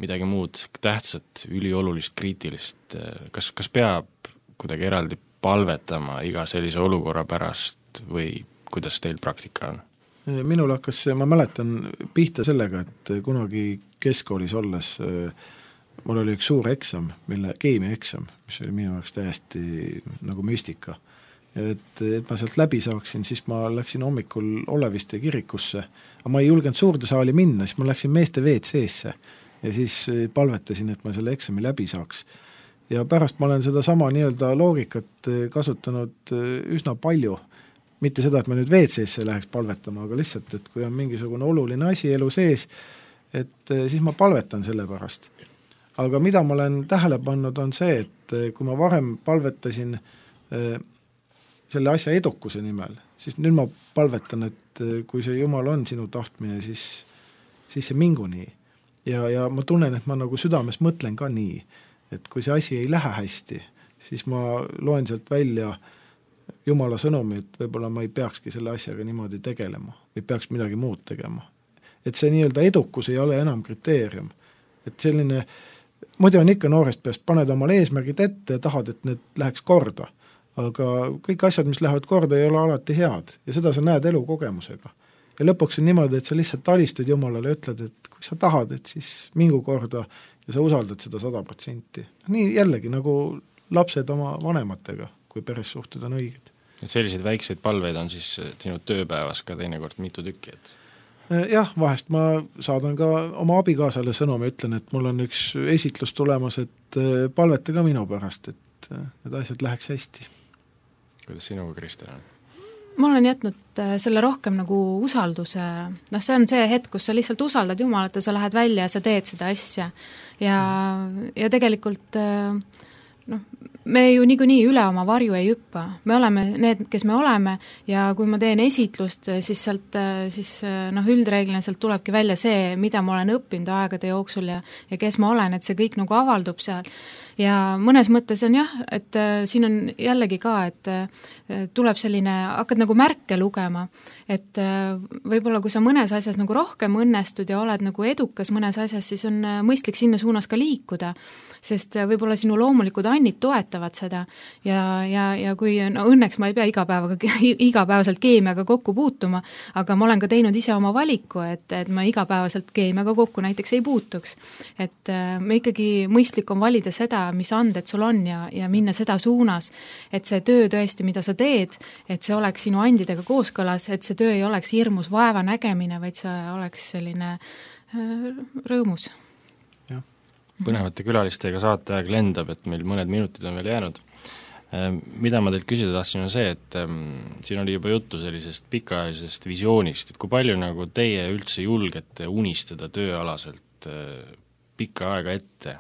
midagi muud tähtsat, üliolulist, kriitilist, kas, kas peab kuidagi eraldi palvetama iga sellise olukorra pärast või kuidas teil praktika on? Minul hakkas, ma mäletan pihta sellega, et kunagi keskkoolis olles mul oli üks suur eksam, mille keemia eksam, mis oli minu jaoks täiesti nagu müstika. Et, et ma sealt läbi saaksin, siis ma läksin hommikul Oleviste kirikusse, aga ma ei julgenud suurde saali minna, siis ma läksin meeste V C-sse ja siis palvetasin, et ma selle eksami läbi saaks. Ja pärast ma olen seda sama nii-öelda loogikat kasutanud üsna palju, mitte seda, et ma nüüd V C-sse läheks palvetama, aga lihtsalt, et kui on mingisugune oluline asi elu sees, et siis ma palvetan selle pärast. Aga mida ma olen tähele pannud on see, et kui ma varem palvetasin selle asja edukuse nimel, siis nüüd ma palvetan, et kui see Jumal on sinu tahtmine, siis, siis see mingu nii. Ja, ja ma tunnen, et ma nagu südames mõtlen ka nii, et kui see asi ei lähe hästi, siis ma loen sealt välja Jumala sõnumi, et võib-olla ma ei peakski selle asjaga niimoodi tegelema või peaks midagi muud tegema. Et see nii-öelda edukus ei ole enam kriteerium. Et selline, muidu on ikka noorest peast, paned omale eesmärgid ette ja tahad, et need läheks korda. Aga kõik asjad, mis lähevad korda, ei ole alati head ja seda sa näed elukogemusega. Ja lõpuks on niimoodi, et sa lihtsalt talistud Jumalale ja ütled, et kui sa tahad, et siis mingu korda ja sa usaldad seda sada protsenti. Nii jällegi nagu lapsed oma vanematega, kui peres suhted on õiged. Et selliseid väikseid palveid on siis sinu tööpäevas ka teinekord mitu tükki, et jah, vahest ma saadan ka oma abikaasale sõnumi, ütlen, et mul on üks esitlus tulemas, et palveta ka minu pärast, et need asjad läheks hästi. Kuidas sinuga, Kristel on? Ma olen jätnud selle rohkem nagu usalduse, noh see on see hetk, kus sa lihtsalt usaldad Jumalat ja sa lähed välja ja sa teed seda asja ja, ja tegelikult noh, me ju niikuinii üle oma varju ei hüppa, me oleme need, kes me oleme ja kui ma teen esitlust, siis sealt siis noh, üldreeglina sealt tulebki välja see, mida ma olen õppinud aegade jooksul ja, ja kes ma olen, et see kõik nagu avaldub seal ja mõnes mõttes on jah, et äh, siin on jällegi ka, et äh, tuleb selline, hakkad nagu märke lugema, et äh, võib-olla kui sa mõnes asjas nagu rohkem õnnestud ja oled nagu edukas mõnes asjas, siis on äh, mõistlik sinna suunas ka liikuda, sest äh, võib-olla sinu loomulikud annid toetavad seda ja, ja, ja kui no õnneks ma ei pea igapäevaga, igapäevaselt keemiaga kokku puutuma, aga ma olen ka teinud ise oma valiku, et, et ma igapäevaselt keemiaga kokku näiteks ei puutuks. Et äh, me ikkagi mõistlik on valida seda, mis anded sul on ja, ja minna seda suunas, et see töö tõesti, mida sa teed, et see oleks sinu andidega kooskõlas, et see töö ei oleks hirmus vaeva nägemine, vaid see oleks selline äh, rõõmus. Ja. Põnevate külalistega saateaeg lendab, et meil mõned minutid on veel jäänud. Mida ma teilt küsida tahtsin on see, et ähm, siin oli juba juttu sellisest pikaajalisest visioonist, et kui palju nagu teie üldse julgete unistada tööalaselt äh, pikka aega ette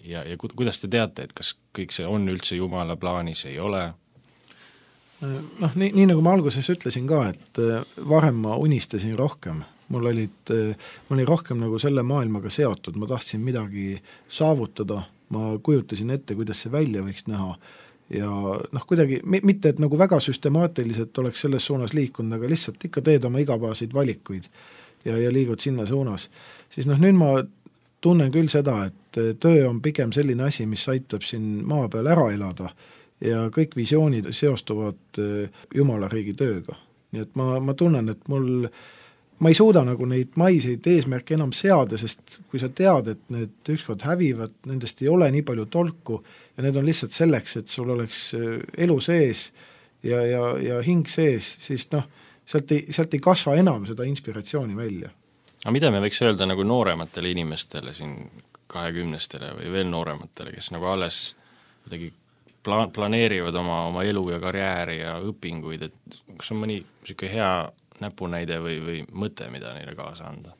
ja, ja ku, kuidas te teate, et kas kõik see on üldse Jumala plaanis, ei ole? Noh, nii, nii nagu ma alguses ütlesin ka, et varem ma unistasin rohkem, mul olid, ma olin rohkem nagu selle maailmaga seotud, ma tahtsin midagi saavutada, ma kujutasin ette, kuidas see välja võiks näha ja noh, kuidagi, mitte et nagu väga süstemaatiliselt oleks selles suunas liikunud, aga lihtsalt ikka teed oma igapäevaseid valikuid ja, ja liigud sinna suunas. Siis noh, nüüd ma tunnen küll seda, et töö on pigem selline asi, mis aitab siin maa peal ära elada ja kõik visioonid seostuvad Jumala riigi tööga. Nii et ma, ma tunnen, et mul ma ei suuda nagu neid maiseid eesmärke enam seada, sest kui sa tead, et need ükskord hävivad, nendest ei ole nii palju tolku ja need on lihtsalt selleks, et sul oleks elu sees ja, ja, ja hing sees, siis noh, sealt ei, sealt ei kasva enam seda inspiratsiooni välja. Aga mida me võiks öelda nagu noorematele inimestele siin kahekümnestele või veel noorematele, kes nagu alles kuidagi pla- planeerivad oma, oma elu ja karjääri ja õpinguid, et kas on mõni niisugune hea näpunäide või, või mõte, mida neile kaasa anda?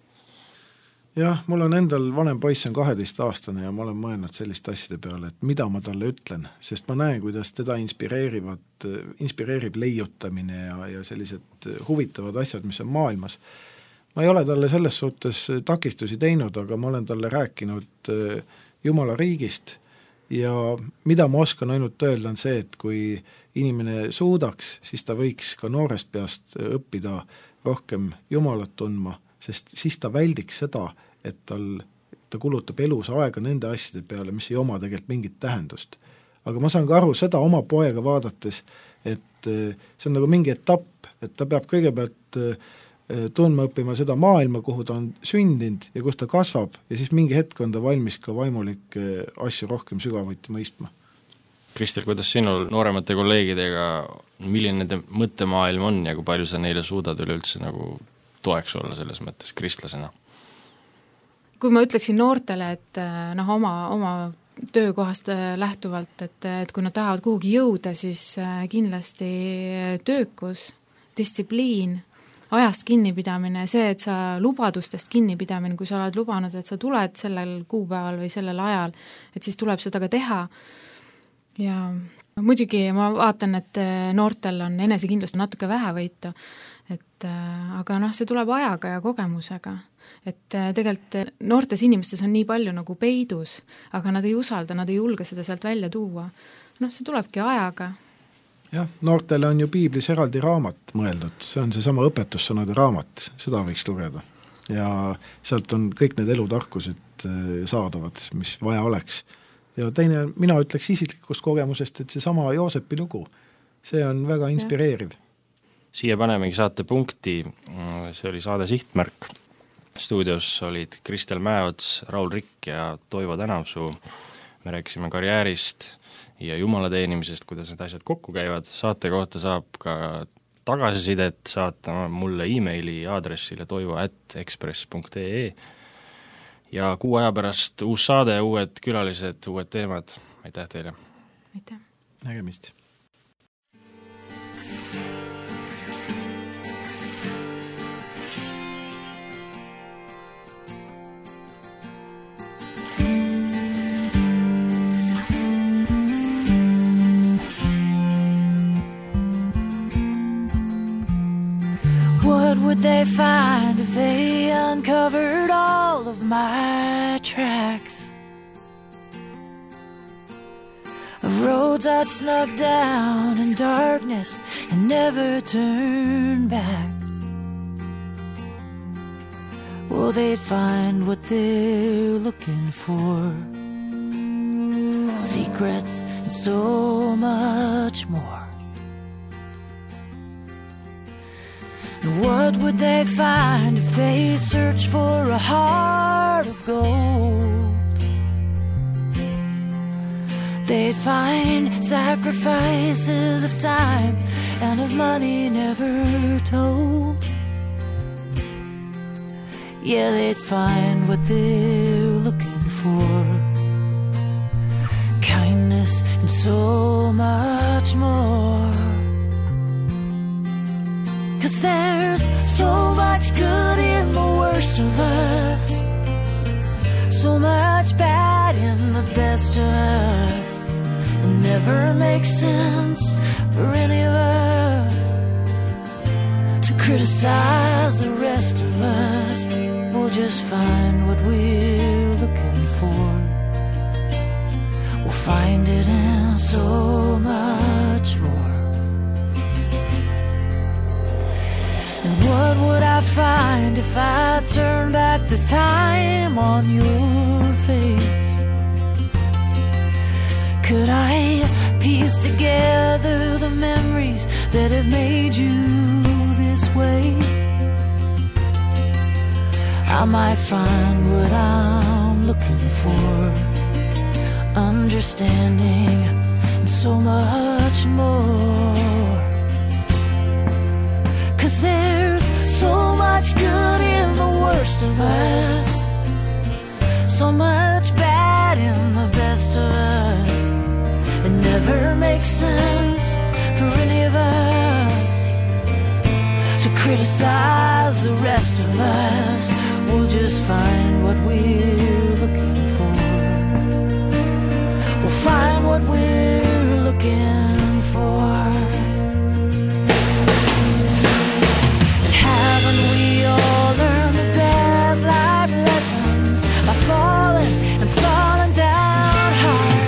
Jah, mul on endal vanem poiss on kaheteist aastane ja ma olen mõelnud selliste asjade peale, et mida ma talle ütlen, sest ma näen, kuidas teda inspireerivad, inspireerib leiutamine ja, ja sellised huvitavad asjad, mis on maailmas. Ma ei ole talle selles suhtes takistusi teinud, aga ma olen talle rääkinud Jumala riigist ja mida ma oskan ainult öelda on see, et kui inimene suudaks, siis ta võiks ka noorest peast õppida rohkem Jumalat tundma, sest siis ta väldiks seda, et tal, ta kulutab elus aega nende asjade peale, mis ei oma tegelikult mingit tähendust. Aga ma saan ka aru seda oma poega vaadates, et see on nagu mingi etapp, et ta peab kõigepealt tundma õppima seda maailma, kuhu ta on sündinud ja kus ta kasvab ja siis mingi hetk on ta valmis ka vaimulikke asju rohkem sügavuti mõistma. Kristel, kuidas sinul nooremate kolleegidega, milline nende mõttemaailm on ja kui palju sa neile suudad üleüldse nagu toeks olla selles mõttes kristlasena? Kui ma ütleksin noortele, et noh, oma, oma töökohast lähtuvalt, et, et kui nad tahavad kuhugi jõuda, siis kindlasti töökus, distsipliin, ajast kinnipidamine, see, et sa lubadustest kinnipidamine, kui sa oled lubanud, et sa tuled sellel kuupäeval või sellel ajal, et siis tuleb seda ka teha. Ja muidugi ma vaatan, et noortel on enesekindlust natuke vähe võitu, et, aga noh, see tuleb ajaga ja kogemusega. Et tegelikult noortes inimestes on nii palju nagu peidus, aga nad ei usalda, nad ei julge seda sealt välja tuua. Noh, see tulebki ajaga. Jah, noortele on ju piiblis eraldi raamat mõeldud, see on see sama õpetussõnade raamat, seda võiks lugeda. Ja sealt on kõik need elutarkused saadavad, mis vaja oleks. Ja teine, mina ütleks isiklikust kogemusest, et see sama Joosepi lugu, see on väga inspireeriv. Siia panemegi saate punkti, see oli saade Sihtmärk. Stuudios olid Kristel Mäeots, Raul Rikk ja Toivo Tänavsuu. Me rääkisime karjäärist ja Jumala teenimisest, kuidas need asjad kokku käivad. Saate kohta saab ka tagasisidet saata mulle e-maili aadressile toivo at ekspress punkt ee ja kuu aja pärast uus saade, uued külalised, uued teemad. Aitäh teile! Aitäh! Nägemist! What would they find if they uncovered all of my tracks? roads I'd snug down in darkness and never turn back. Well, they'd find what they're looking for, secrets and so much more. And what would they find if they searched for a heart of gold? They'd find sacrifices of time and of money never told. Yeah, they'd find what they're looking for, kindness and so much more. 'Cause there's so much good in the worst of us, so much bad in the best of us. It never makes sense for any of us to criticize the rest of us. We'll just find what we're looking for. We'll find it in so much more. And what would I find if I turned back the time on your face? Could I piece together the memories that have made you this way? I might find what I'm looking for, understanding and so much more. 'Cause there's so much good in the worst of us, so much bad in the best of us. It never makes sense for any of us to criticize the rest of us. We'll just find what we're looking for. We'll find what we're looking for. And haven't we all learned the best life lessons by falling and falling down hard?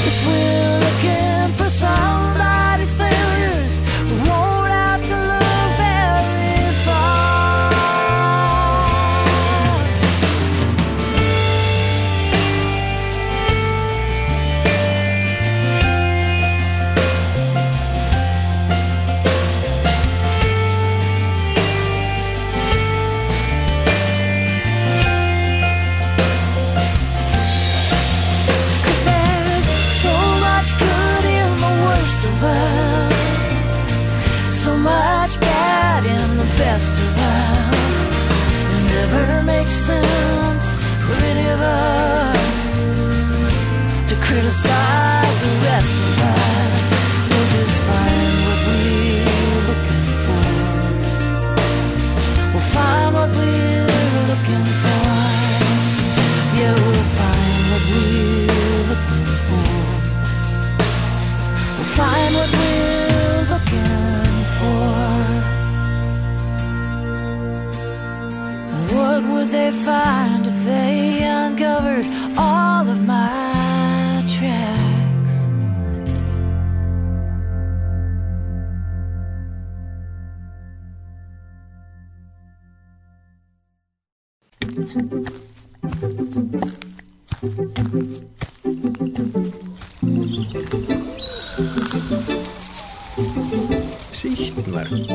If we're looking for somebody's failures, we won't have to look very far. So much bad in the best of us. It never makes sense for any of us to criticize the rest of us. We'll just find what we're looking for. We'll find what we're looking for. Yeah, we'll find what we're looking for. We'll find what we're looking for. And what would they find if they uncovered all of my tracks? Sihtmärk.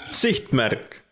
Sihtmärk.